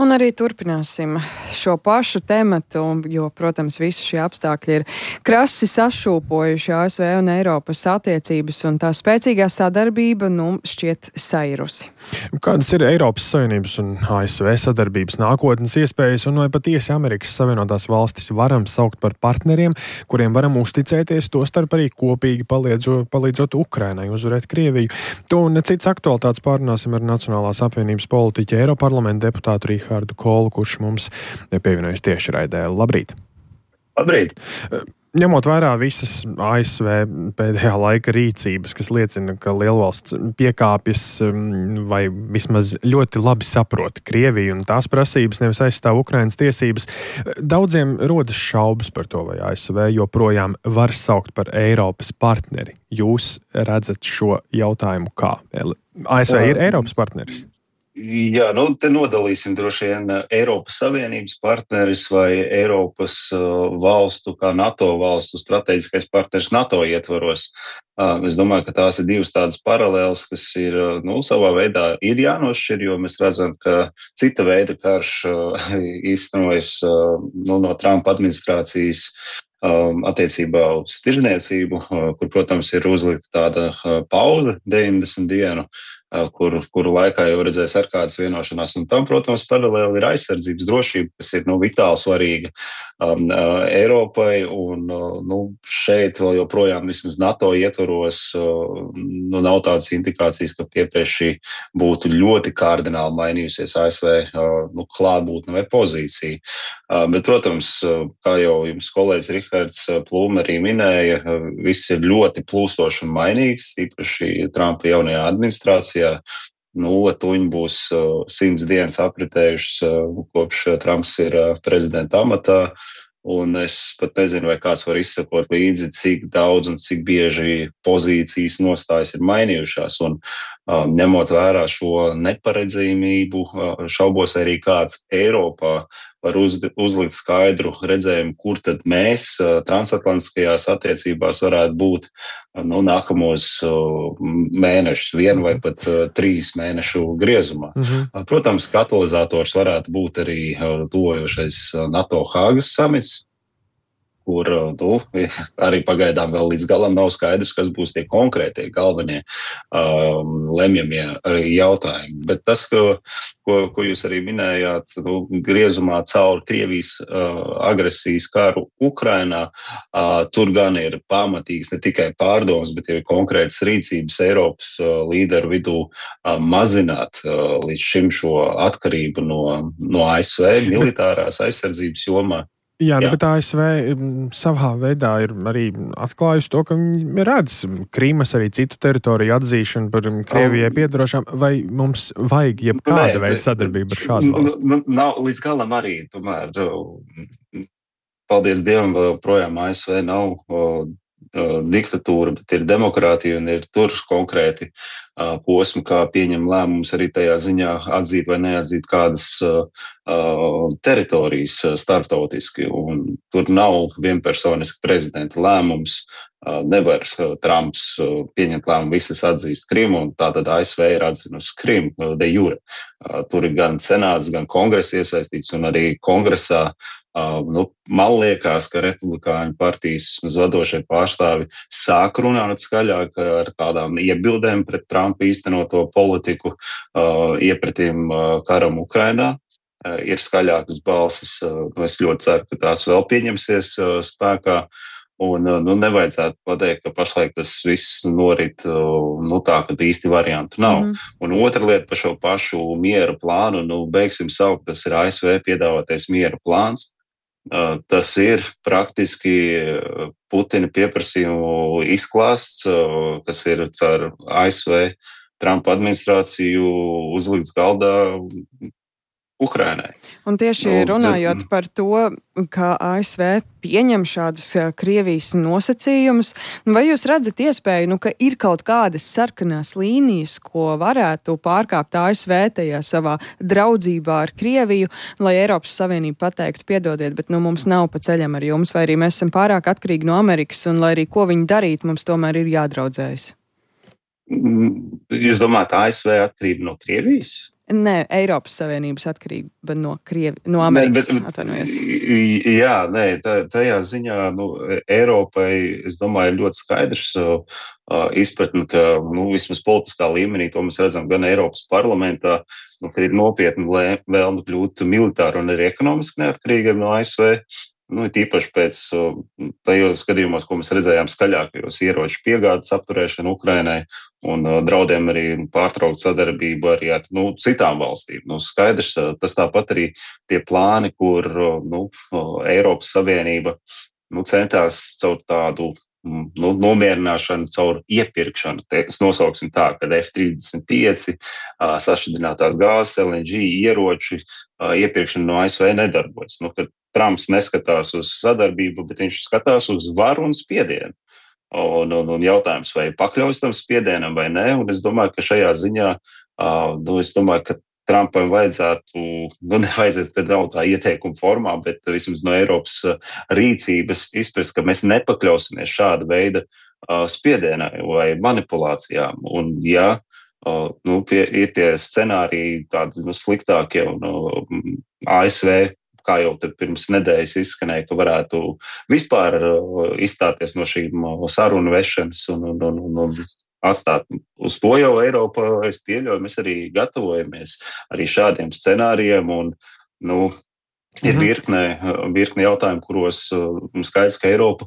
Un arī turpināsim šo pašu tematu, jo, protams, visi šie apstākļi ir krasi sašūpojuši ASV un Eiropas attiecības, un tā spēcīgā sadarbība, šķiet sairusi. Kādas ir Eiropas Savienības un ASV sadarbības nākotnes iespējas, un vai patiesi Amerikas Savienotās valstis varam saukt par partneriem, kuriem varam uzticēties, tostarp arī kopīgi palīdzot Ukrainai uzvarēt Krieviju? To un cits aktualitātes pārunāsim ar Nacionālās apvienības politiķi Eiroparlamenta deputātu Rīhārdu Kolu, kurš mums pievienojas tieši raidē. Labrīt! Labrīt! Ņemot vērā visas ASV pēdējā laika rīcības, kas liecina, ka lielvalsts piekāpjas vai vismaz ļoti labi saprot Krieviju un tās prasības, nevis aizstāv Ukrainas tiesības, daudziem rodas šaubas par to, vai ASV joprojām var saukt par Eiropas partneri. Jūs redzat šo jautājumu kā? ASV ir Eiropas partneris? Jā, te nodalīsim droši vien Eiropas Savienības partneris vai Eiropas valstu, kā NATO valstu strateģiskais partneris NATO ietvaros. Es domāju, ka tās ir divas tādas paralēlas, kas ir, savā veidā ir jānošķir, jo mēs redzam, ka cita veida karš īstenojas no Trumpa administrācijas attiecībā uz tirdzniecību, kur, protams, ir uzlikta tāda pauze 90 dienu, kuru laikā jau redzēs ar kādas vienošanās. Un tam, protams, paralēli ir aizsardzības drošība, kas ir vitāli svarīga Eiropai. Un šeit vēl joprojām vismaz NATO ietvaros nav tādas indikācijas, ka piepieši būtu ļoti kardināli mainījusies ASV klātbūtne vai pozīcija. Bet, protams, kā jau jums kolēģis Rihards Plūme arī minēja, viss ir ļoti plūstoši un mainīgs, īpaši Trumpa jaunajā administrācijā. Tuņi būs 100 dienas apritējušas, kopš Trumps ir prezidenta amatā, un es pat nezinu, vai kāds var izsekot līdzi, cik daudz un cik bieži pozīcijas nostājas ir mainījušās, un ņemot vērā šo neparedzējumību, šaubos arī kāds Eiropā var uzlikt skaidru redzējumu, kur tad mēs transatlantiskajās attiecībās varētu būt nākamos mēnešus, 1 vai pat 3 mēnešu griezumā. Protams, katalizators varētu būt arī tuvojošais NATO Hāgas samits, kur arī pagaidām vēl līdz galam nav skaidrs, kas būs tie konkrētie galvenie lemjamie jautājumi. Bet tas, ko jūs arī minējāt, griezumā caur Krievijas agresijas karu Ukrainā, tur gan ir pamatīgs ne tikai pārdoms, bet ir konkrētas rīcības Eiropas līderu vidū mazināt līdz šim šo atkarību no ASV militārās aizsardzības jomā. Jā, bet ASV savā veidā ir arī atklājusi to, ka viņi redz Krīmas arī citu teritoriju atzīšanu par Krievijai piedarošām, vai mums vajag jebkāda veida sadarbība ar šādu valsti? Nav līdz galam arī, tomēr, paldies Dievam, vēl projām ASV nav diktatūra, bet ir demokrātija un ir tur konkrēti posmi, kā pieņem lēmumus arī tajā ziņā atzīt vai neatzīt kādas teritorijas starptautiski. Un tur nav vienpersoniski prezidenta lēmums. Nevar Trumps pieņemt lēmumu visas atzīst Krimu, un tātad ASV ir atzinusi Krimu de jure. Tur ir gan senāts, gan kongress iesaistīts, un arī kongresā man liekas, ka republikāņu partijas vadošie pārstāvi sāk runāt skaļāk ar tādām iebildēm pret Trumpa īstenoto politiku iepretim karam Ukrainā. Ir skaļākas balsis. Es ļoti ceru, ka tās vēl pieņemsies spēkā. Un nevajadzētu pateikt, ka pašlaik tas viss norit tā, ka īsti variantu nav. Un otra lieta par šo pašu miera plānu, beigsim saukt, tas ir ASV piedāvātais miera plāns. Tas ir praktiski Putina pieprasījumu izklāsts, kas ir caur ASV Trumpa administrāciju uzlikts galdā Ukrainai. Un tieši runājot par to, ka ASV pieņem šādus Krievijas nosacījumus, vai jūs redzat iespēju, ka ir kaut kādas sarkanās līnijas, ko varētu pārkāpt ASV tajā savā draudzībā ar Krieviju, lai Eiropas Savienība pateiktu, piedodiet, bet mums nav pa ceļam ar jums, vai arī mēs esam pārāk atkarīgi no Amerikas, un lai arī ko viņi darīt, mums tomēr ir jādraudzējas? Jūs domājat, ASV atkarība no Krievijas? Nē, Eiropas Savienības atkarība no Amerikas. Atvainojos. Tajā ziņā Eiropai, es domāju, ir ļoti skaidrs izpratni, ka vismaz politiskā līmenī to mēs redzam gan Eiropas parlamentā, ka ir nopietna vēlme kļūt militāri un arī ekonomiski neatkarīgiem no ASV. Tīpaši pēc tajos gadījumos, ko mēs redzējām skaļākajos ieroču piegādes apturēšanu Ukrainai un draudiem arī pārtraukt sadarbību arī ar citām valstīm. Skaidrs, tas tāpat arī tie plāni, kur Eiropas Savienība centās caur tādu nomierināšanu, caur iepirkšanu. Es nosauksim tā, ka F-35, sašķidrinātās gāzes, LNG ieroči iepirkšana no ASV nedarbojas. Kad Trumps neskatās uz sadarbību, bet viņš skatās uz varu un spiedienu. Un jautājums, vai pakļaujas tam spiedienam vai nē. Un es domāju, ka šajā ziņā, ka Trumpam vajadzētu, nevajadzētu nav tā ieteikuma formā, bet vismaz no Eiropas rīcības izprast, ka mēs nepakļausimies šāda veida spiedienai vai manipulācijām. Un ja ir tie scenāriji tādi sliktākie un ASV, kā jau pirms nedēļas izskanēja, ka varētu vispār izstāties no šīm sarunu vešanas un atstāt uz to jau Eiropa, es pieļauju, mēs arī gatavojamies arī šādiem scenārijiem un, ir virkne jautājumu, kuros skaidrs, ka Eiropa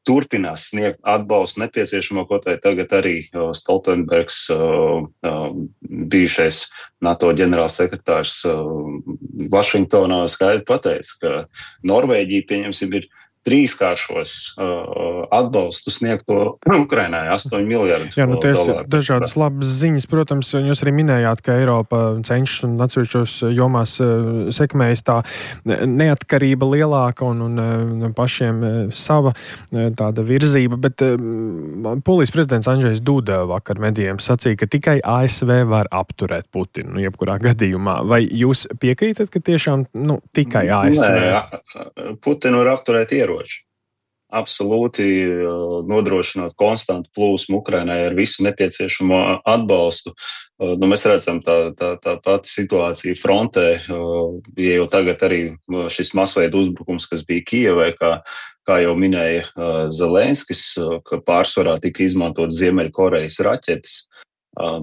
turpinās sniegt atbalstu nepieciešamo, ko tagad arī Stoltenbergs, bijušais NATO ģenerālsekretārs Vašingtonā skaidri pateica, ka Norvēģija, pieņemsim, ir trīskāršos atbalstu sniegto Ukrainai 8 miljardus Jā, tie dolāru. Ir dažādas labas ziņas. Protams, jūs arī minējāt, ka Eiropa cenšas un atsevišķos jomās sekmējas tā neatkarība lielāka un pašiem sava tāda virzība, bet Polijas prezidents Andžejs Duda vakar medijiem sacīja, ka tikai ASV var apturēt Putinu jebkurā gadījumā. Vai jūs piekrītat, ka tiešām tikai ASV? Nē, Putinu var apturēt ieroči. Absolūti nodrošinot konstantu plūsmu Ukrainai ar visu nepieciešamo atbalstu. Mēs redzam tā pati situācija frontē, ja jau tagad arī šis masveida uzbrukums, kas bija Kijevai, kā jau minēja Zelenskis, ka pārsvarā tika izmantot Ziemeļkorejas raķetes.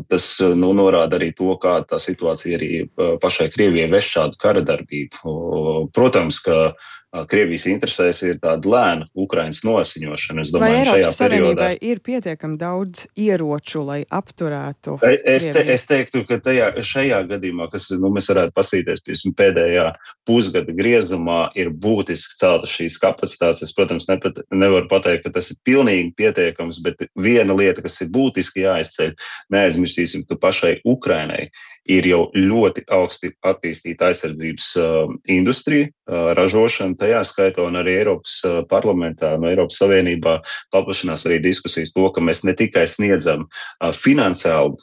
Tas norāda arī to, kā tā situācija arī pašai Krievijai veš šādu kara darbību. Protams, ka Krievijas interesēs ir tāda lēna Ukrainas nosiņošana. Es domāju, vai Eiropas šajā periodā ir pietiekami daudz ieroču, lai apturētu Es teiktu, ka šajā gadījumā, kas mēs varētu pasīties pēdējā pusgada griezumā, ir būtiski celtas šīs kapacitātes. Es, protams, nevaru pateikt, ka tas ir pilnīgi pietiekams, bet viena lieta, kas ir būtiski jāizceļ, neaizmirsīsim, ka pašai Ukrainai ir jau ļoti augsti attīstīta aizsardzības industrija, ražošana, tajā skaitā un arī Eiropas parlamentā, no Eiropas Savienībā paplašinās arī diskusijas to, ka mēs ne tikai sniedzam finansiālu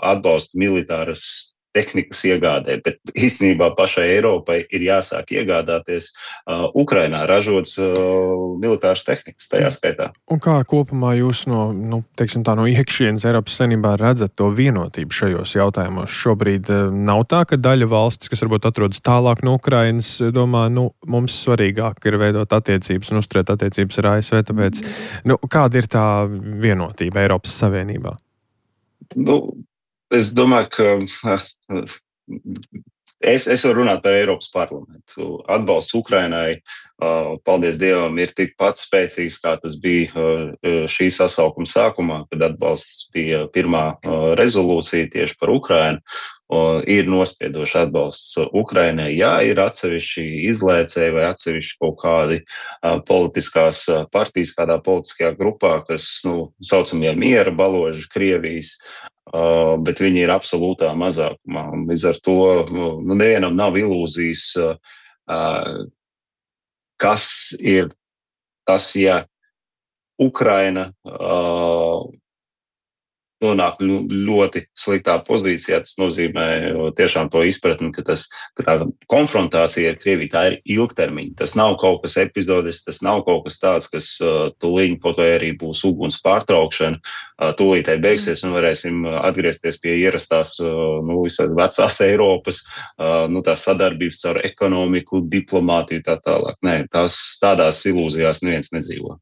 atbalstu militāras tehnikas iegādē, bet īstenībā pašai Eiropai ir jāsāk iegādāties Ukrainā ražotas militāras tehnikas tajā skaitā. Un kā kopumā jūs no iekšienes Eiropas Savienībā redzat to vienotību šajos jautājumos? Šobrīd nav tā, ka daļa valstis, kas varbūt atrodas tālāk no Ukrainas, domā, mums svarīgāk ir veidot attiecības un uzturēt attiecības ar ASV, tāpēc kāda ir tā vienotība Eiropas Savienībā? Es domāju, ka es varu runāt par Eiropas parlamentu. Atbalsts Ukrainai, paldies Dievam, ir tikpat spēcīgs, kā tas bija šī sasaukuma sākumā, kad atbalsts bija pirmā rezolūcija tieši par Ukrainu. Ir nospiedoši atbalsts Ukrainai. Jā, ir atsevišķi izlēcēji vai atsevišķi kaut kādi politiskās partijas kādā politiskajā grupā, kas, saucamie miera baloži Krievijas, bet viņi ir absolūtā mazākumā. Un līdz ar to nevienam nav ilūzijas, kas ir tas, ja Ukraina nonāk ļoti sliktā pozīcijā. Tas nozīmē tiešām to izpratni, ka tā konfrontācija ar Krieviju tā ir ilgtermiņa. Tas nav kaut kas epizodisks, tas nav kaut kas tāds, kas tūlīt kaut vai arī būs uguns pārtraukšana, tūlītēji beigsies un varēsim atgriezties pie ierastās visas vecās Eiropas, tās sadarbības caur ekonomiku, diplomātiju tā tālāk. Nē, tādās ilūzijās neviens nedzīvo.